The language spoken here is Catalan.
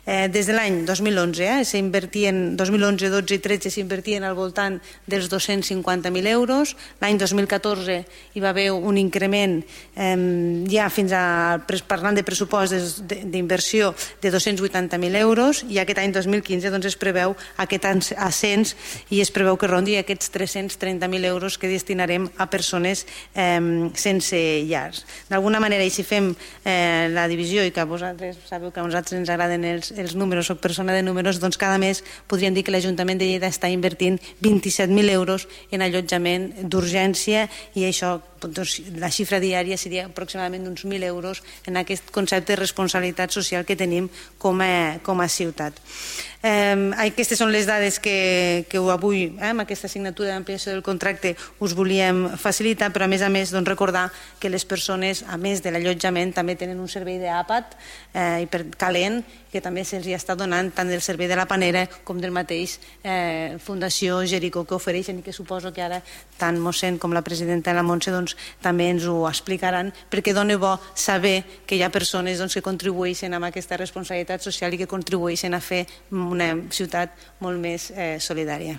Des de l'any 2011, 2011, 12 i 13 s'invertien al voltant dels 250.000 euros. L'any 2014 hi va haver un increment ja fins a, parlant de pressupost d'inversió, de 280.000 euros, i aquest any 2015 es preveu aquest ascens i es preveu que rondi aquests 330.000 euros que destinarem a persones sense llars. D'alguna manera, i si fem la divisió, i que vosaltres sabeu que a nosaltres ens agraden els números, soc persona de números, doncs cada mes podríem dir que l'Ajuntament de Lleida està invertint 27.000 euros en allotjament d'urgència, i això, la xifra diària seria aproximadament uns 1.000 euros en aquest concepte de responsabilitat social que tenim com a ciutat. Aquestes són les dades que avui, amb aquesta assignatura d'ampliació del contracte, us volíem facilitar, però a més recordar que les persones, a més de l'allotjament, també tenen un servei d'àpat calent, que també se'ls està donant tant del servei de la Panera com del mateix Fundació Jericó, que ofereixen, i que suposo que ara tant mossèn com la presidenta de la Montse també ens ho explicaran, perquè dona bo saber que hi ha persones que contribueixen amb aquesta responsabilitat social i que contribueixen a fer una ciutat molt més solidària.